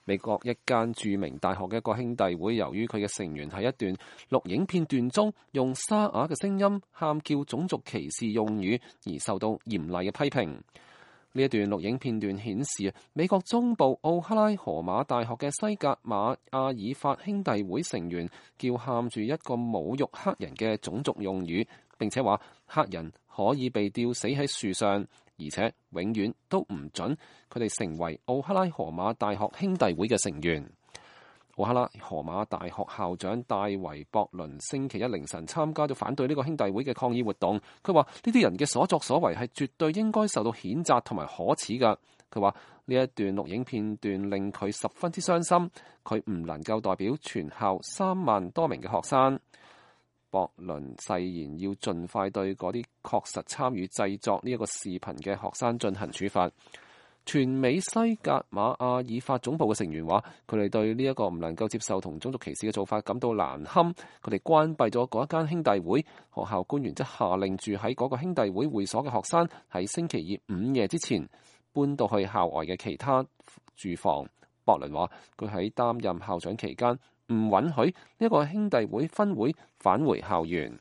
美國一間著名大學嘅一個兄弟會，由於佢嘅成員喺一段錄影片段中用沙啞嘅聲音喊叫種族歧視用語，而受到嚴厲嘅批評。呢一段錄影片段顯示，美國中部奧克拉荷馬大學嘅西格瑪阿爾法兄弟會成員叫喊住一個侮辱黑人嘅種族用語，並且話黑人可以被吊死喺樹上，而且永遠都唔准佢哋成為奧克拉荷馬大學兄弟會嘅成員。奧克拉荷馬大學校長戴維博倫星期一凌晨參加咗反對呢個兄弟會嘅抗議活動。佢話呢啲人嘅所作所為係絕對應該受到譴責同埋可恥㗎。佢話呢一段錄影片段令佢十分之傷心，佢唔能夠代表全校3萬多名嘅學生。博倫誓言要盡快對嗰啲確實參與製作呢一個視頻嘅學生進行處罰。全美西格瑪阿爾法總部嘅成員話，佢哋對呢一個唔能夠接受同種族歧視嘅做法感到難堪，佢哋關閉咗嗰一間兄弟會。學校官員則下令住喺嗰個兄弟會會所嘅學生喺星期二午夜之前搬到去校外嘅其他住房。博倫話，佢喺擔任校長期間唔允許呢一個兄弟會分會返回校園。